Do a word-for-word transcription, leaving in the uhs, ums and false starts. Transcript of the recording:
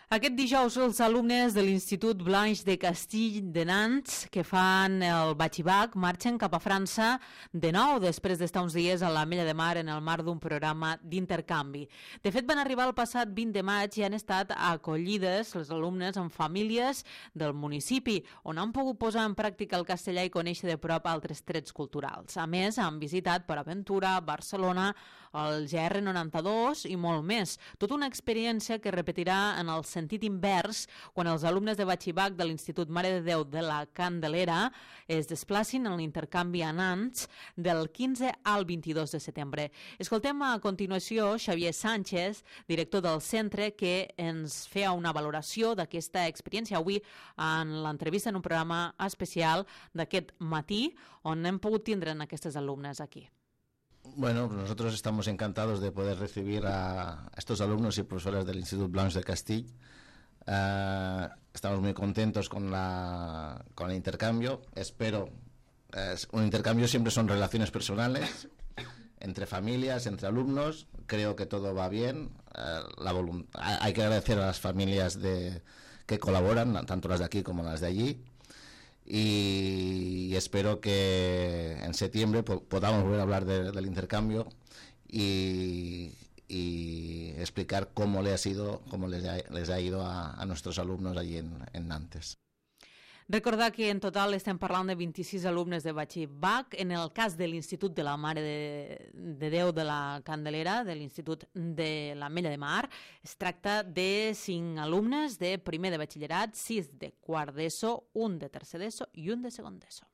Aquest dijous els alumnes de l'Institut Blanche de Castille de Nantes que fan el batxibac marxen cap a França de nou després d'estar uns dies a l'Ametlla de Mar en el marc d'un programa d'intercanvi. De fet, van arribar el passat vint de maig i han estat acollides els alumnes en famílies del municipi, on han pogut posar en pràctica el castellà i conèixer de prop altres trets culturals. A més, han visitat Per Aventura, Barcelona, el G R noranta-dos i molt més. Tota una experiència que repetirà en el sentit invers quan els alumnes de batxibac de l'Institut Mare de Déu de la Candelera es desplacin en l'intercanvi a Nantes del quinze al vint-i-dos de setembre. Escoltem a continuació Xavier Sánchez, director del centre, que ens feia una valoració d'aquesta experiència avui en l'entrevista en un programa especial d'aquest matí on hem pogut tindre en aquestes alumnes aquí. Bueno, nosotros estamos encantados de poder recibir a estos alumnos y profesores del Institut Blanche de Castille. Uh, estamos muy contentos con, la, con el intercambio. Espero, eh, un intercambio siempre son relaciones personales, entre familias, entre alumnos. Creo que todo va bien. Uh, la volum- hay que agradecer a las familias de, que colaboran, tanto las de aquí como las de allí. Y espero que en septiembre podamos volver a hablar de, del intercambio y, y explicar cómo le ha sido, cómo les ha, les ha ido a, a nuestros alumnos allí en, en Nantes. Recordar que en total estem parlant de vint-i-sis alumnes de batxibac. En el cas de l'Institut de la Mare de, de Déu de la Candelera, de l'Institut de l'Ametlla de Mar, es tracta de cinc alumnes de primer de batxillerat, sis de quart d'ESO, un de tercer d'ESO i un de segon d'ESO.